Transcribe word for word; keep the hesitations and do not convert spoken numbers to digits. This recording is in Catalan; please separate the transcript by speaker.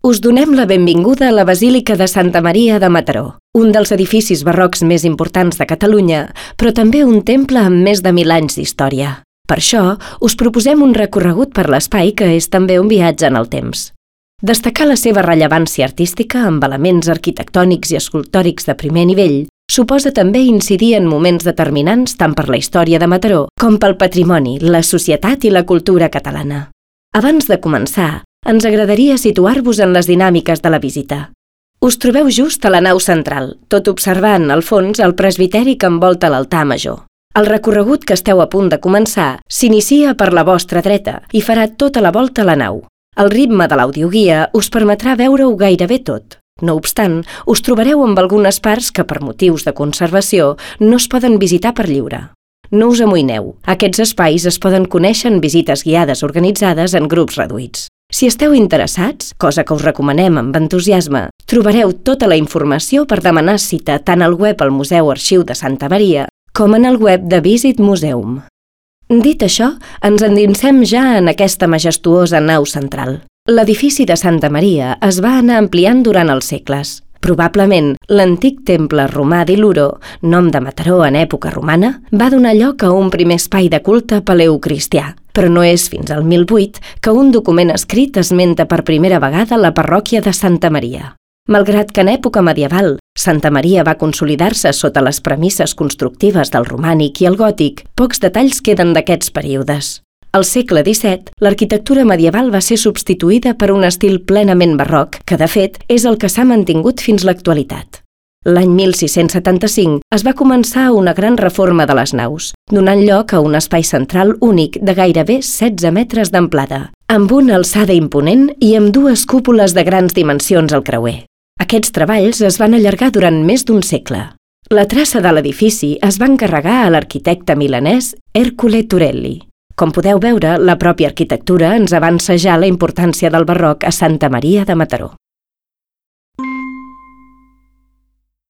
Speaker 1: Us donem la benvinguda a la Basílica de Santa Maria de Mataró, un dels edificis barrocs més importants de Catalunya, però també un temple amb més de mil anys d'història. Per això, us proposem un recorregut per l'espai que és també un viatge en el temps. Destacar la seva rellevància artística amb elements arquitectònics i escultòrics de primer nivell suposa també incidir en moments determinants tant per la història de Mataró com pel patrimoni, la societat i la cultura catalana. Abans de començar, ens agradaria situar-vos en les dinàmiques de la visita. Us trobeu just a la nau central, tot observant, al fons, el presbiteri que envolta l'altar major. El recorregut que esteu a punt de començar s'inicia per la vostra dreta i farà tota la volta a la nau. El ritme de l'audioguia us permetrà veure-ho gairebé tot. No obstant, us trobareu amb algunes parts que, per motius de conservació, no es poden visitar per lliure. No us amoïneu, aquests espais es poden conèixer en visites guiades organitzades en grups reduïts. Si esteu interessats, cosa que us recomanem amb entusiasme, trobareu tota la informació per demanar cita tant al web al Museu Arxiu de Santa Maria com en el web de Visit Museum. Dit això, ens endinsem ja en aquesta majestuosa nau central. L'edifici de Santa Maria es va anar ampliant durant els segles. Probablement, l'antic temple romà d'Iluro, nom de Mataró en època romana, va donar lloc a un primer espai de culte paleocristià, però no és fins al mil vuit que un document escrit esmenta per primera vegada la parròquia de Santa Maria. Malgrat que en època medieval Santa Maria va consolidar-se sota les premisses constructives del romànic i el gòtic, pocs detalls queden d'aquests períodes. Al segle disset, l'arquitectura medieval va ser substituïda per un estil plenament barroc, que de fet és el que s'ha mantingut fins l'actualitat. L'any mil sis-cents setanta-cinc es va començar una gran reforma de les naus, donant lloc a un espai central únic de gairebé setze metres d'amplada, amb una alçada imponent i amb dues cúpules de grans dimensions al creuer. Aquests treballs es van allargar durant més d'un segle. La traça de l'edifici es va encarregar a l'arquitecte milanès Ercole Turelli. Com podeu veure, la pròpia arquitectura ens avança ja la importància del barroc a Santa Maria de Mataró.